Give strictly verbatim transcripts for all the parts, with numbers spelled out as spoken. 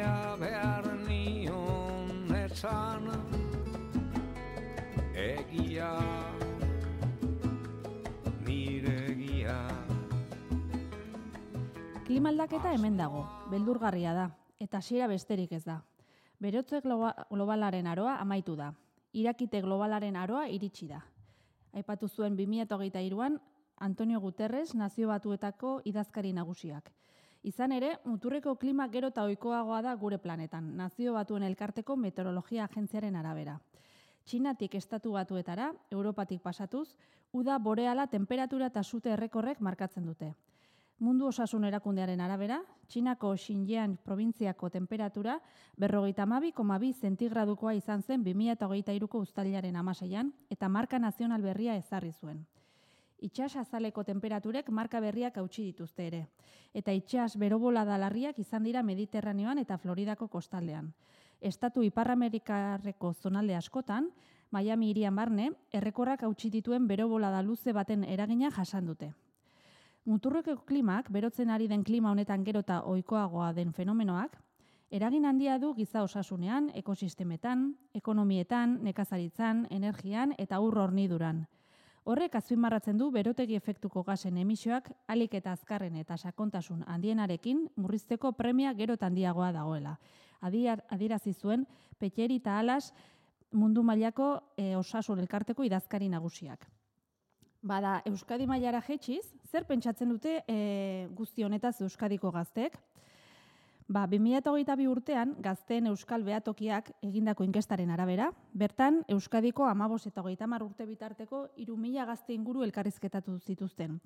egia behar nion etzan, egia, nire egia. Klima aldaketa hemen dago, beldurgarria da, eta hasiera besterik ez da. Berotze globalaren aroa amaitu da. Irakite globalaren aroa iritsi da. Aipatu zuen bi mila hogeita hiruan Antonio Guterres Nazio Batuetako idazkari nagusiak. Izan ere, muturreko klima gero eta ohikoagoa da gure planetan, Nazio Batuen Elkarteko Meteorologia Agentziaren arabera. Txinatik estatu batuetara, Europatik pasatuz, uda boreala temperatura eta sute errekorrek markatzen dute. Mundu Osasun Erakundearen arabera, Txinako Xinjiang probintziako temperatura berrogeita hamabi koma bi zentigradukoa izan zen bi mila hogeita hiruko uztailaren hamaseian eta marka nazional berria ezarri zuen. Itsas azaleko temperaturek marka berriak hautsi dituzte ere, eta itsas berobolada larriak izan dira Mediterraneoan eta Floridako kostaldean. Estatu Ipar-Amerikarreko zonalde askotan, Miami hirian barne, errekorrak hautsi dituen berobolada luze baten eragina jasan dute. Muturreko klimak, berotzen ari den klima honetan gero eta ohikoagoa den fenomenoak, eragin handia du giza osasunean, ekosistemetan, ekonomietan, nekazaritzan, energian eta ur horniduran. Horrek azpimarratzen du berotegi efektuko gasen emisioak ahalik eta azkarren eta sakontasun handienarekin murrizteko premia gero eta handiagoa dagoela. Adierazi zuen Petxeri eta Alas mundu mailako e, osasun elkarteko idazkari nagusiak. Bada, Euskadi mailara jetxiz, zer pentsatzen dute e, guzti honetaz Euskadiko gazteek? Ba, bi mila hogeita bi urtean, gazteen Euskal Behatokiak egindako inkestaren arabera, bertan Euskadiko hamabost eta hogeita hamar urte bitarteko hiru mila gazte inguru elkarrizketatu zituzten.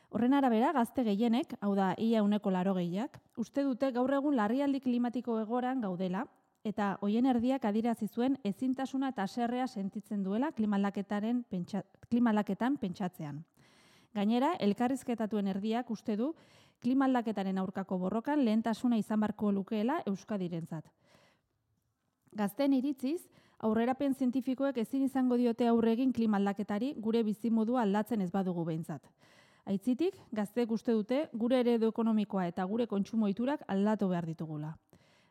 Horren arabera, gazte gehienek, hau da, ia ehuneko laurogeiak, uste dute gaur egun larrialdi klimatiko egoran gaudela, eta hoien erdiak adierazi zuen ezintasuna eta haserrea sentitzen duela klimalaketaren pentsa, klimalaketan pentsatzean. Gainera, elkarrizketatuen erdiak uste du klimaldaketaren aurkako borrokan lehentasuna izan barko lukeela Euskadirentzat. Gazteen iritziz, aurrerapen zientifikoek ezin izango diote aurre egin klimaldaketari gure bizimodua aldatzen ez badugu behintzat. Aitzitik, gazteek uste dute gure eredu ekonomikoa eta gure kontsumo ohiturak aldatu behar ditugula.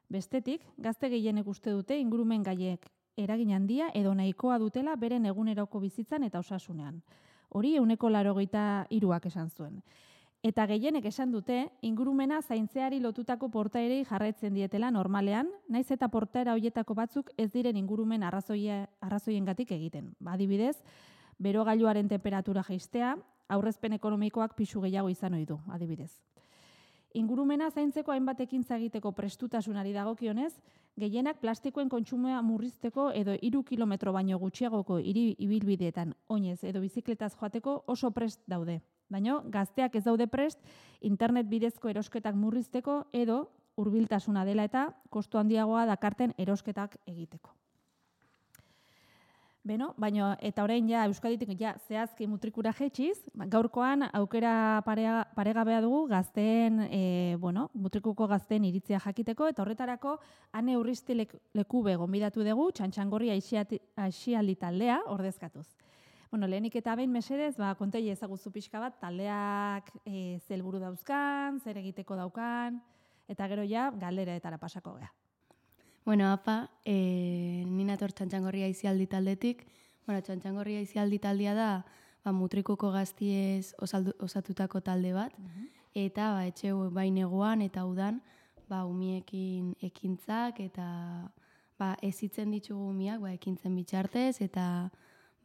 Bestetik, gazte gehienek uste dute ingurumen gaiek eragin handia edo nahikoa dutela beren eguneroko bizitzan eta osasunean. Hori ehuneko laurogeita hiruak esan zuen. Eta gehienek esan dute ingurumena zaintzeari lotutako portaerei jarraitzen dietela normalean, naiz eta portaera hoietako batzuk ez diren ingurumen arrazoia, arrazoiengatik egiten. Adibidez, berogailuaren temperatura jaistea, aurrezpen ekonomikoak pisu gehiago izan ohi du, adibidez. Ingurumena zaintzeko hainbat ekintza egiteko prestutasunari dagokionez, gehienak plastikoen kontsumoa murrizteko edo hiru kilometro baino gutxiagoko hiri ibilbideetan oinez edo bizikletaz joateko oso prest daude. Baina gazteak ez daude prest internet bidezko erosketak murrizteko edo hurbiltasuna dela eta kostu handiagoa dakarten erosketak egiteko. Beno, baina eta orain ja Euskaditik ja zehazki mutrikura jetxiz, gaurkoan aukera parea, paregabea dugu gazteen, e, bueno, mutrikuko gazteen iritzia jakiteko eta horretarako Ane Urristi Lekube gonbidatu dugu Txantxangorri aisialdi taldea ordezkatuz. Bueno, lehenik eta behin mesedez, ba kontei ezaguzu pixka bat taldeak e, ze helburu dauzkan, zer egiteko daukan eta gero ja galderetara pasako gea. Bueno, apa, e, ni nator Txantxangorri aisialdi taldetik. Bueno, Txantxangorri aisialdi taldea da ba, mutrikuko gaztiez osaldu, osatutako talde bat. Uh-huh. Eta ba, etxe bai neguan eta udan ba, umiekin ekintzak eta ba, ezitzen ditugu umiak ba, ekintzen bitxartez eta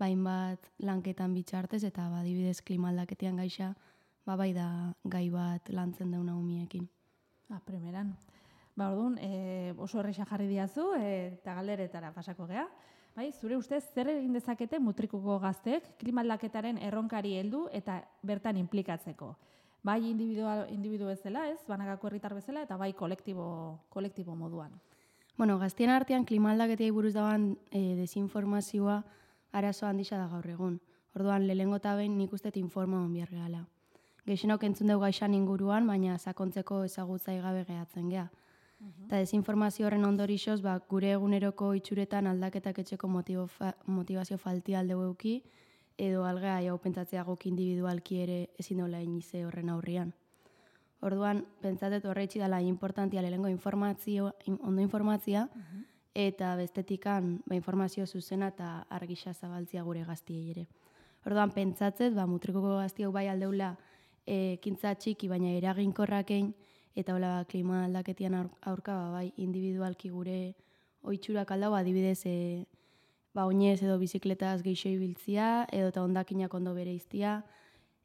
bainbat lanketan bitxartez eta ba, adibidez klimaldaketean gaixa ba, bai da gai bat lantzen dauna umiekin. Ah, primeran. Ba, orduan, e, oso erresa jarri diazu e, eta galderetara pasako gea. Bai, zure ustez, zer egin dezakete mutrikuko gazteek klimaldaketaren erronkari heldu eta bertan inplikatzeko? Bai individual, individu bezala, ez, banakako herritar bezala, eta bai kolektibo, kolektibo moduan. Bueno, gaztien artean klimaldaketei buruz dagoen e, desinformazioa arazo handisa da gaur egun. Orduan, lehengo eta behin nik uste informaon behar gehala. Gehixenok entzun dugu gaixan inguruan, baina sakontzeko ezagutzai gabe gehatzen geha. Uh-huh. Eta desinformazio horren ondorixoz, ba, gure eguneroko itxuretan aldaketak etxeko motibo fa, motivazio falti aldeu euki, edo algea jau pentsatzea guk individualki ere ezin dola inize horren aurrian. Orduan, pentsatet horreitzi dela importantia lehengo informazio, ondo informatzia, eta bestetikan ba, informazio zuzena eta argisa zabaltzia gure gaztiei ere. Orduan, pentsatzet, ba, mutrikuko gaztiok bai aldeula ekintza txiki, baina eraginkorrakein, eta hola klima aldaketian aurka ba, bai individualki gure oitxurak aldau, adibidez, e, ba, oinez edo bizikletaz geixo ibiltzia, edo eta hondakinak ondo bere iztia,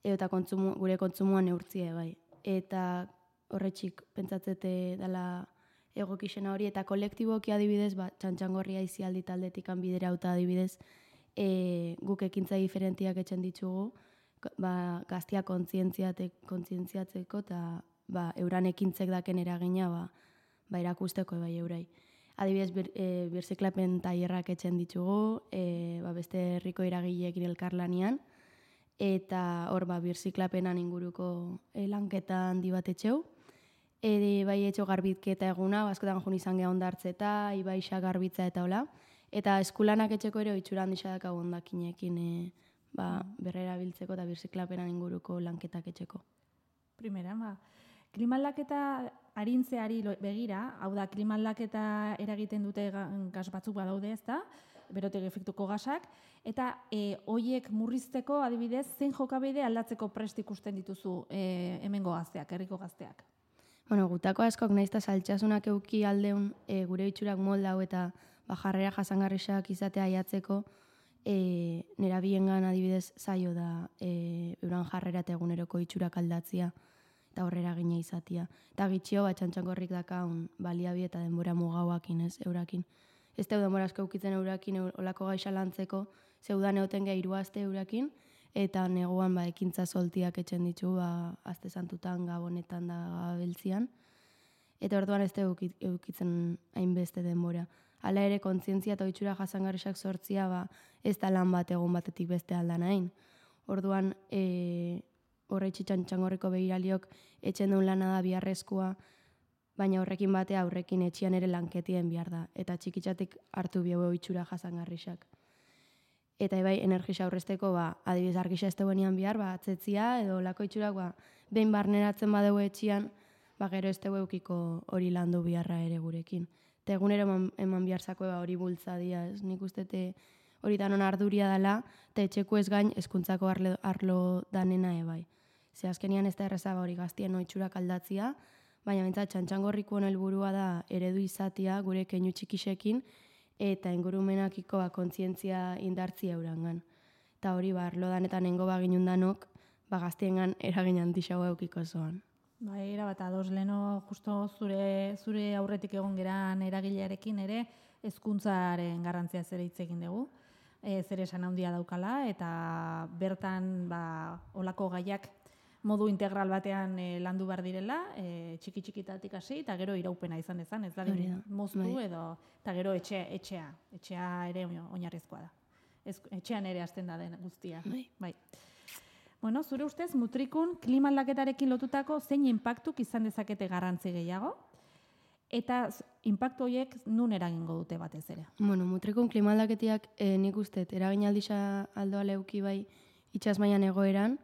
edo eta kontsumo, gure kontsumuan neurtzia bai. Eta horretxik pentsatzete dela egokixena hori, eta kolektiboki adibidez, ba, Txantxangorria izialdi taldetikan biderauta adibidez, e, guk ekintza diferentiak etxen ditugu, ba, gaztia kontzientziatzeko eta ba, euran ekintzek daken eragina ba, ba, erakusteko bai eurai. Adibidez, bir, e, birziklapen tailerrak etxen ditugu, e, ba, beste herriko eragileekin elkarlanian, eta hor ba, birziklapenan inguruko e, lanketa handi bat etxeu. E, bai etxo garbitketa eguna, askotan jun izan geha ondartzeta, ibaixa garbitza eta hola. Eta eskulanak etxeko ere oitxura handisa dakago ondakinekin e, ba, berrera biltzeko eta birziklapenan inguruko lanketak etxeko. Primera, ba, klima aldaketa arintzeari begira, hau da, klima aldaketa eragiten dute gas batzuk badaude, ez da, berotegi efektuko gasak, eta e, hoiek murrizteko, adibidez, zein jokabide aldatzeko prest ikusten dituzu e, hemengo gazteak, herriko gazteak? Bueno, gutako askok nahiz eta saltxasunak euki aldeun e, gure itxurak moldau eta ba, jarrera jasangarrisak izatea aiatzeko, e, nera biengan adibidez zaio da e, euran jarrera eta eguneroko itxurak aldatzia eta horrera gine izatia. Eta gitxio, bat Txantxangorrik dakaun baliabi eta denbora mugauakin, ez, eurakin. Ez teu denbora asko eukitzen eurakin olako gaixa lantzeko, zeudan egoten geha iruazte eurakin, eta neguan ba, ekintza soltiak etxen ditu, ba, azte santutan, gabonetan da gabiltzian. Eta orduan ez teu eukitzen hainbeste denbora. Hala ere, kontzientzia eta oitxura jasangarrisak sortzia, ba, ez da lan bat egun batetik beste aldan hain. Orduan, e, horretxe Txantxangorriko begiraliok etxen duen lana da biharrezkoa, baina horrekin batea aurrekin etxian ere lanketien behar da. Eta txikitzatik hartu bihau oitxura jasangarrisak. Eta ebai, energisa aurrezteko, ba, adibidez argisa ez duenean bihar, ba, atzetzia, edo lako itxurak, ba, behin barneratzen badeu etxian, ba, gero ez dugu eukiko hori landu biharra ere gurekin. Eta egunero eman, eman biharzako ba, hori bultzadia, ez nik ustete hori danon arduria dela, eta etxeko ez gain eskuntzako arlo, arlo danena ebai. Ze azkenian ez da errezaba hori gaztien oitxurak aldatzia, baina bintzat Txantxangorriko helburua da eredu izatia gure keinu txikisekin, eta ingurumenakiko ba, kontzientzia indartzia eurangan. Eta hori ba, arlo danetan nengo baginun danok, ba, gaztiengan eragin handixago eukiko zoan. Ba, era bat ados, leno justo zure, zure aurretik egon geran eragilearekin ere, hezkuntzaren garrantzia zere hitz egin dugu. E, zer esan handia daukala, eta bertan ba, olako gaiak modu integral batean e, landu behar direla, e, txiki-txikitatik hasi, eta gero iraupena izan dezan, ez da, moztu bai. edo, eta gero etxe, etxea, etxea ere oinarrizkoa da. Ez, etxean ere hasten da den guztia. Bai. Bai. Bueno, zure ustez, mutrikun klima aldaketarekin lotutako zein inpaktuk izan dezakete garrantzi gehiago, eta inpaktu horiek nun eragingo dute batez ere? Bueno, mutrikun klima aldaketiak e, nik ustet, eragin aldisa aldoa leuki bai itxas mailan egoeran,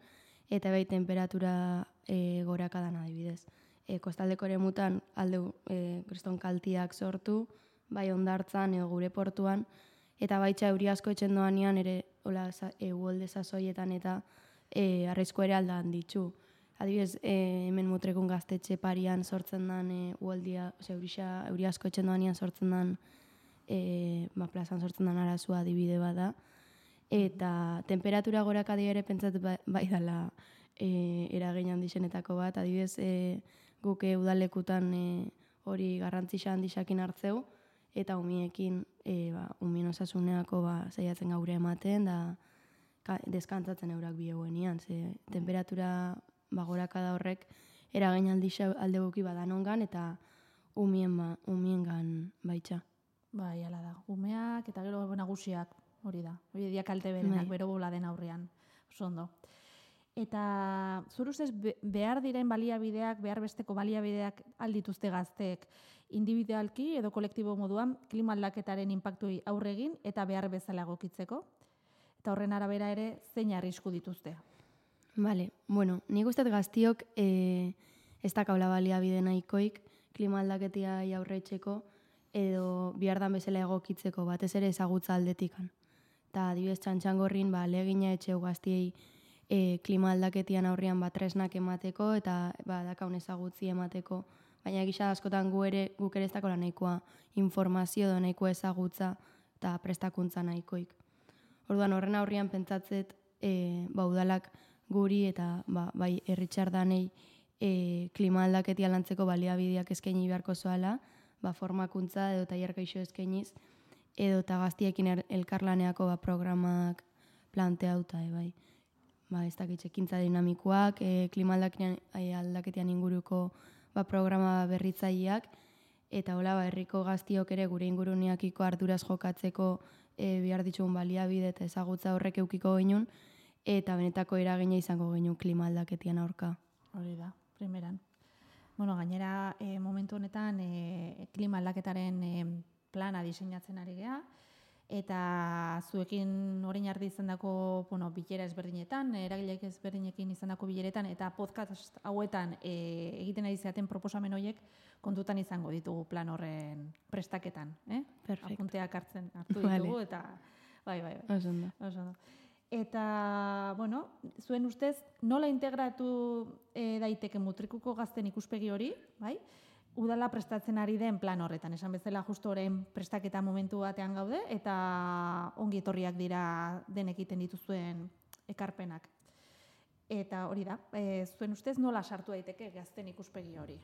eta bai temperatura e, gorakadan adibidez. E, kostaldeko ere mutan aldeu e, kriston kaltiak sortu, bai ondartzan edo gure portuan, eta baitxa euri asko etxen doanean ere hola eguolde sasoietan eta e, arrizko ere aldan ditzu. Adibidez, e, hemen mutrekun gaztetxe parian sortzen den e, uoldia, ose, eurisa, euri asko etxen doanean sortzen den, e, ba, plazan sortzen den arazua adibide bada. Eta temperatura gorakadi ere pentsat bai dela e, eragin handizenetako bat. Adibidez, e, guk e, udalekutan e, hori garrantzisa handisakin hartzeu, eta umiekin, e, ba, umien osasuneako ba, zaiatzen gaure ematen, da ka, deskantzatzen eurak bieguenian. Ze temperatura ba, gorakada horrek eragin handisa alde guki badanongan, eta umien, ba, umiengan baitxa. Bai, ala da. Umeak eta gero nagusiak. Hori da, hori dia kalte berenak, bero bola den aurrean, oso ondo. Eta zure ustez behar diren baliabideak, behar besteko baliabideak aldituzte gazteek individualki edo kolektibo moduan klima aldaketaren inpaktui aurre egin eta behar bezala egokitzeko. Eta horren arabera ere zein arrisku dituzte. Vale, bueno, nik uste gaztiok e, ez dakaula baliabide nahikoik klima aldaketia aurreitzeko edo bihardan bezala egokitzeko batez ere ezagutza aldetikan. Eta adibidez Txantxangorrin ba, legina etxeu gaztiei e, klima aldaketian aurrian ba, tresnak emateko eta ba, dakaun ezagutzi emateko. Baina gisa askotan gu ere, guk ere ez dakola nahikoa informazio edo nahikoa ezagutza eta prestakuntza nahikoik. Orduan horren aurrian pentsatzet e, ba, udalak guri eta ba, bai herritxardanei e, klima aldaketia lantzeko baliabideak eskaini beharko zoala, ba, formakuntza edo tailer gaixo eskainiz, edo eta gaztiekin er, elkarlaneako ba, programak planteauta, e, bai. Ba, ez dakit, ekintza dinamikoak, e, klima aldaketian, e, aldaketian inguruko ba, programa berritzaileak, eta hola, ba, herriko gaztiok ere gure inguruneakiko arduraz jokatzeko e, behar ditugun baliabide eta ezagutza horrek eukiko genuen, eta benetako eragina izango genuen klima aldaketian aurka. Hori da, primeran. Bueno, gainera, e, momentu honetan e, klima aldaketaren e, plana diseinatzen ari geha, eta zuekin orain ardi izandako, bueno, bilera ezberdinetan, eragileek ezberdinekin izandako bileretan, eta podcast hauetan e, egiten ari zaten proposamen horiek kontutan izango ditugu plan horren prestaketan, eh? Perfecto. Apunteak hartzen hartu ditugu, vale. Eta bai, bai, bai. Oso ondo. Oso ondo. Eta, bueno, zuen ustez, nola integratu e, daiteke mutrikuko gazten ikuspegi hori, bai? Udala prestatzen ari den plan horretan, esan bezala justu orain prestaketa momentu batean gaude, eta ongi etorriak dira denek egiten dituzuen ekarpenak. Eta hori da, e, zuen ustez nola sartu daiteke gazten ikuspegi hori?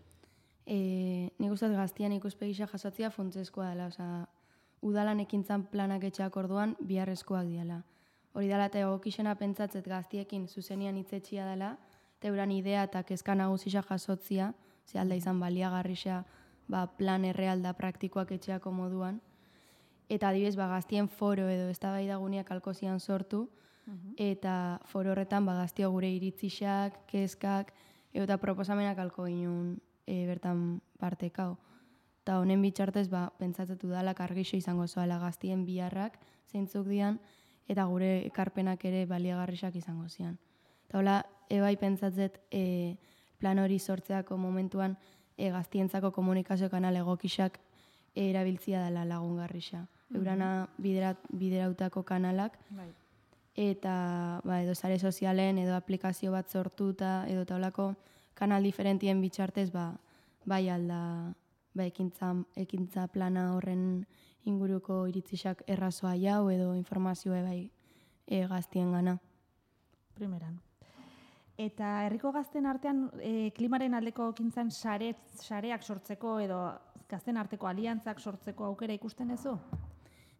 E, nik uste gaztian ikuspegisa jasotzea funtsezkoa dela, osea, udalan ekintzan planak etxeak orduan biharrezkoak diala. Hori dela eta egokixena pentsatzet gaztiekin zuzenian hitzetxia dela, eta euran idea eta kezka nagusisa jasotzia, ze alda izan baliagarrisa ba, plan errealda praktikoak etxeako moduan. Eta adibidez, ba, gaztien foro edo eztabaidaguneak alkozian sortu, uh-huh. eta foro horretan ba, gaztio gure iritzisak, kezkak, eta proposamenak alko ginen e, bertan partekau. Eta honen bitxartez, ba, pentsatzetu dalak argixo izango zoala gaztien biharrak, zeintzuk dian, eta gure ekarpenak ere baliagarrisak izango zian. Eta hola, ebai pentsatzet e, plan hori sortzeako momentuan e, gaztientzako komunikazio kanal egokixak e, erabiltzia dela lagungarrisa. Mm-hmm. Eurana biderat, biderautako kanalak, bai. Eta ba, edo sare sozialen edo aplikazio bat sortuta edo taulako kanal diferentien bitxartez ba, bai alda ba, ekintza, ekintza plana horren inguruko iritzisak errazoa jau edo informazioa bai e, gaztien gana. Primeran. Eta herriko gazten artean e, klimaren aldeko ekintzan sare, sareak sortzeko edo gazten arteko aliantzak sortzeko aukera ikusten ezu?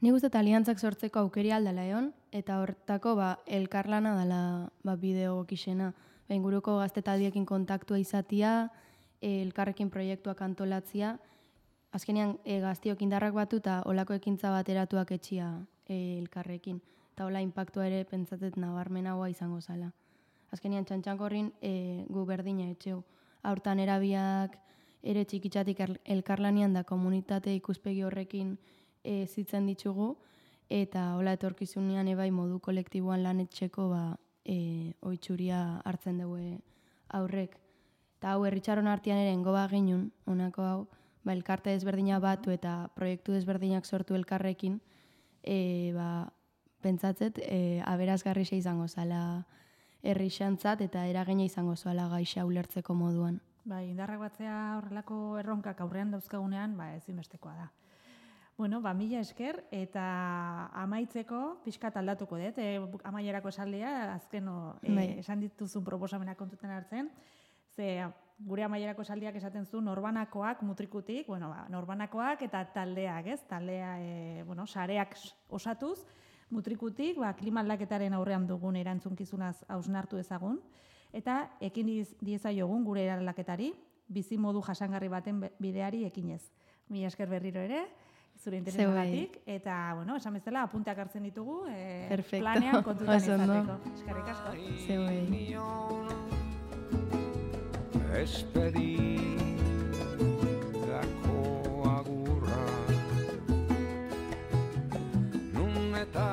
Nik uste eta aliantzak sortzeko aukeri aldala egon, eta hortako ba, elkarlana dela ba, bideo gokixena. Ba, inguruko gaztetaldiekin kontaktua izatia, e, elkarrekin proiektuak antolatzia, azkenean e, gaztiok indarrak batu eta olako ekintza bateratuak etxia e, elkarrekin. Eta hola impactua ere pentsatet nabarmenagoa izango zala. Azkenean Txantxangorrin e, gu berdina etxeu. Hortan erabiak ere txikitzatik elkarlanian da komunitate ikuspegi horrekin e, zitzen ditugu, eta hola etorkizunean ebai modu kolektiboan lan etxeko ba, e, oitxuria hartzen dugu aurrek. Eta hau herritxaron artean ere engoba ginun, honako hau, ba, elkarte ezberdina batu eta proiektu ezberdinak sortu elkarrekin, e, ba, pentsatzet e, aberazgarrixa izango zala herrixantzat eta eragina izango zoala gaixa ulertzeko moduan. Bai, indarrak batzea horrelako erronkak aurrean dauzkagunean, ba, ezinbestekoa da. Bueno, ba, mila esker, eta amaitzeko pixkat aldatuko dut, e, amaierako esaldia, azken o, e, bai. Esan dituzun proposamenak kontutan hartzen, ze gure amaierako esaldiak esaten zu norbanakoak mutrikutik, bueno, ba, norbanakoak eta taldeak, ez? Taldea, e, bueno, sareak osatuz, mutrikutik, ba, klima aldaketaren aurrean dugun erantzunkizunaz hausnartu ezagun, eta ekin diezaiogun gure eraldaketari, bizi modu jasangarri baten bideari ekinez. Mila esker berriro ere, zure interesagatik, eta, bueno, esan bezala, apunteak hartzen ditugu, e, planean kontutan izateko. Eskerrik asko. Zeuei. Espedidako agurra nun eta